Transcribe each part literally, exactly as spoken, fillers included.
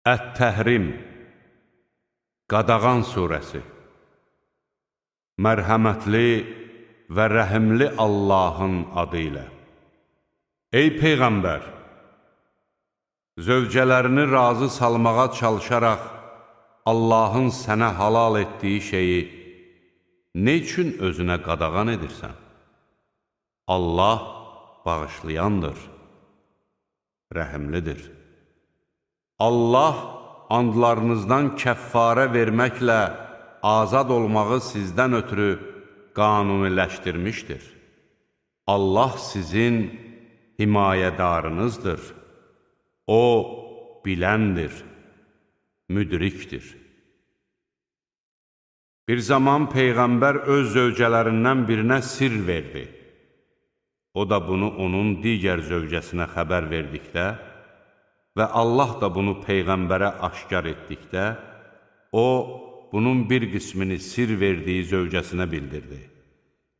Ət-Təhrim Qadağan surəsi. Mərhəmətli və rəhimli Allahın adı ilə. Ey Peyğəmbər! Zövcələrini razı salmağa çalışaraq Allahın sənə halal etdiyi şeyi nə üçün özünə qadağan edirsən? Allah bağışlayandır, rəhimlidir. Allah andlarınızdan kəffarə verməklə azad olmağı sizdən ötürü qanuniləşdirmişdir. Allah sizin himayədarınızdır. O, biləndir, müdrikdir. Bir zaman Peyğəmbər öz zövcələrindən birinə sir verdi. O da bunu onun digər zövcəsinə xəbər verdikdə və Allah da bunu Peyğəmbərə aşkar etdikdə, o, bunun bir qismini sir verdiyi zövcəsinə bildirdi.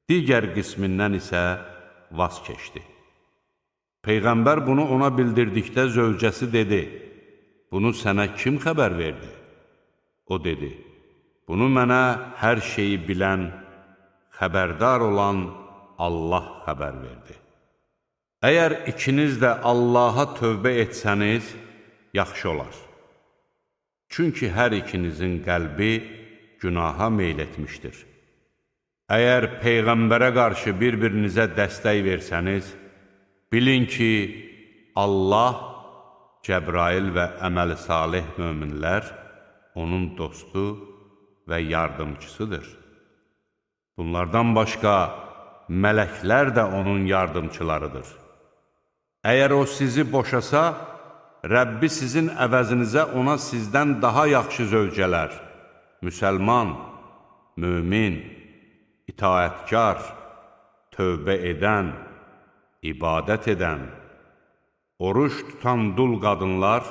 Digər qismindən isə vaz keçdi. Peyğəmbər bunu ona bildirdikdə zövcəsi dedi, bunu sənə kim xəbər verdi? O dedi, bunu mənə hər şeyi bilən, xəbərdar olan Allah xəbər verdi. Əgər ikiniz də Allaha tövbə etsəniz, yaxşı olar. Çünki hər ikinizin qəlbi günaha meyl etmişdir. Əgər Peyğəmbərə qarşı bir-birinizə dəstək versəniz, bilin ki, Allah, Cəbrail və əməl-i salih möminlər onun dostu və yardımcısıdır. Bunlardan başqa mələklər də onun yardımçılarıdır. Əgər o sizi boşasa, Rəbbi sizin əvəzinizə ona sizdən daha yaxşı zövcələr, müsəlman, mömin, itaətkar, tövbə edən, ibadət edən, oruç tutan dul qadınlar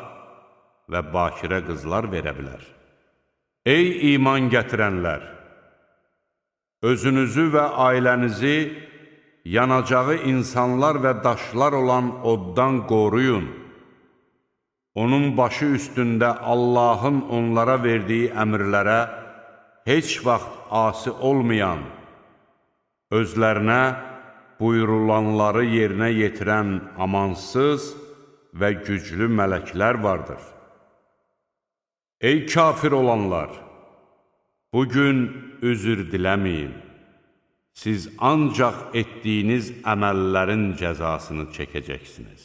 və bakirə qızlar verə bilər. Ey iman gətirənlər! Özünüzü və ailənizi yanacağı insanlar və daşlar olan oddan qoruyun. Onun başı üstündə Allahın onlara verdiyi əmrlərə heç vaxt asi olmayan, özlərinə buyurulanları yerinə yetirən amansız və güclü mələklər vardır. Ey kafir olanlar! Bugün üzr diləməyin. Siz ancaq etdiyiniz əməllərin cəzasını çəkəcəksiniz.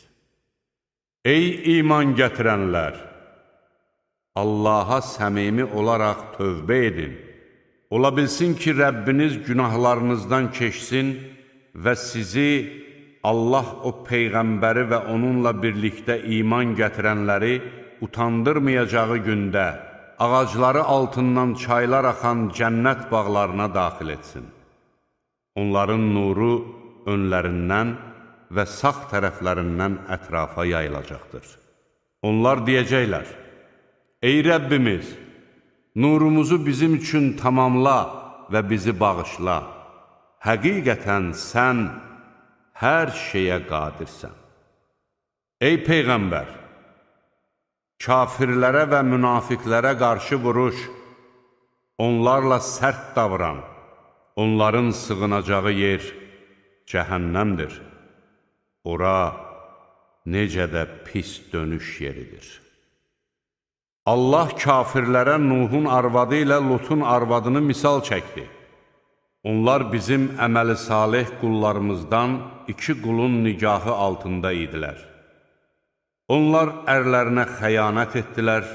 Ey iman gətirənlər! Allaha səmimi olaraq tövbə edin. Ola bilsin ki, Rəbbiniz günahlarınızdan keçsin və sizi Allah o Peyğəmbəri və onunla birlikdə iman gətirənləri utandırmayacağı gündə ağacları altından çaylar axan cənnət bağlarına daxil etsin. Onların nuru önlərindən və sağ tərəflərindən ətrafa yayılacaqdır. Onlar deyəcəklər, ey Rəbbimiz, nurumuzu bizim üçün tamamla və bizi bağışla. Həqiqətən sən hər şeyə qadirsən. Ey Peyğəmbər! Kafirlərə və münafiqlərə qarşı vuruş, onlarla sərt davran, onların sığınacağı yer cəhənnəmdir. Ora necə də pis dönüş yeridir. Allah kafirlərə Nuhun arvadı ilə Lutun arvadını misal çəkdi. Onlar bizim əməli salih qullarımızdan iki qulun nigahı altında idilər. Onlar ərlərinə xəyanət etdilər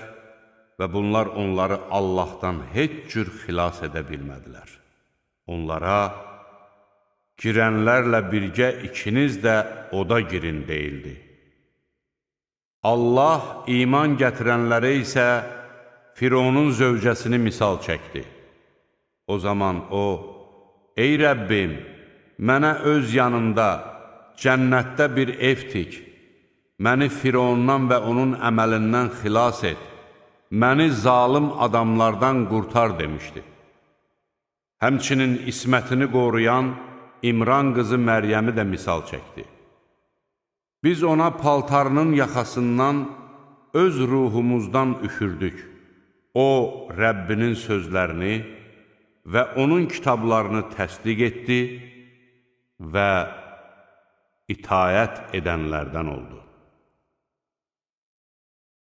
və bunlar onları Allahdan heç cür xilas edə bilmədilər. Onlara, girənlərlə birgə ikiniz də oda girin deyildi. Allah iman gətirənlərə isə Fironun zövcəsini misal çəkdi. O zaman o, ey Rəbbim, mənə öz yanında, cənnətdə bir ev tik, məni Firondan və onun əməlindən xilas et, məni zalım adamlardan qurtar demişdi. Həmçinin ismətini qoruyan İmran qızı Məryəmi də misal çəkdi. Biz ona paltarının yaxasından öz ruhumuzdan üfürdük. O, Rəbbinin sözlərini və onun kitablarını təsdiq etdi və itayət edənlərdən oldu.